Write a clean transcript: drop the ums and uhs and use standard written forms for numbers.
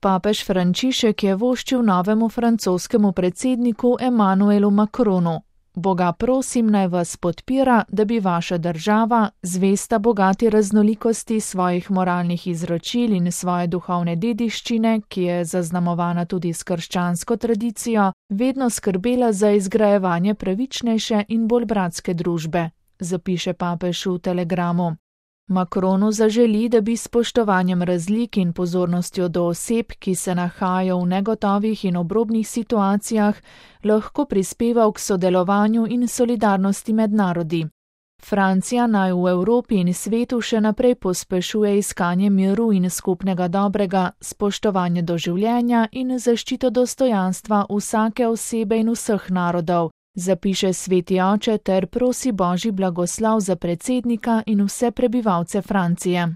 Papež Frančišek je voščil novemu francoskemu predsedniku Emmanuelu Macronu. Boga prosim, naj vas podpira, da bi vaša država, zvesta bogati raznolikosti svojih moralnih izročil in svoje duhovne dediščine, ki je zaznamovana tudi s krščansko tradicijo, vedno skrbela za izgrajevanje pravičnejše in bolj bratske družbe, zapiše papež v telegramu. Macronu zaželi, da bi s spoštovanjem razlik in pozornostjo do oseb, ki se nahajajo v negotovih in obrobnih situacijah, lahko prispeval k sodelovanju in solidarnosti med narodi. Francija naj v Evropi in svetu še naprej pospešuje iskanje miru in skupnega dobrega, spoštovanje do življenja in zaščito dostojanstva vsake osebe in vseh narodov, zapiše sveti oče ter prosi Božji blagoslov za predsednika in vse prebivalce Francije.